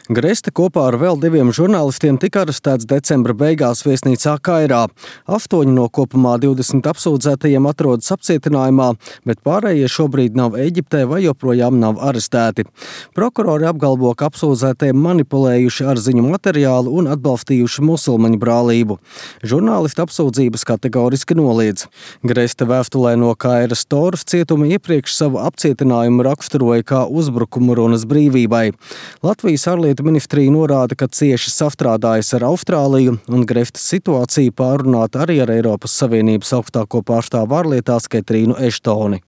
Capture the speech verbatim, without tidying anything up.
Greste kopā ar vēl diviem žurnālistiem tika arestēts decembra beigās viesnīcā Kairā. Astoņi no kopumā divdesmit apsūdzētajiem atrodas apcietinājumā, bet pārējie šobrīd nav Eģiptē vai joprojām nav arestēti. Prokurori apgalvo, ka apsūdzētie manipulējuši ar ziņu materiālu un atbalstījuši musulmaņu brālību. Žurnālisti apsūdzības kategoriski noliedz. Greste vēstulē no Kairas Toras cietuma iepriekš savu apcietinājumu raksturoja kā uzbrukumu runas brīvībai. Latvijas ārlietu ministrija norāda, ka cieši sastrādājas ar Austrāliju un Grestes situāciju pārunāt arī ar Eiropas Savienības augstāko pārstāvu ārlietās Ketrīnu Eštoni.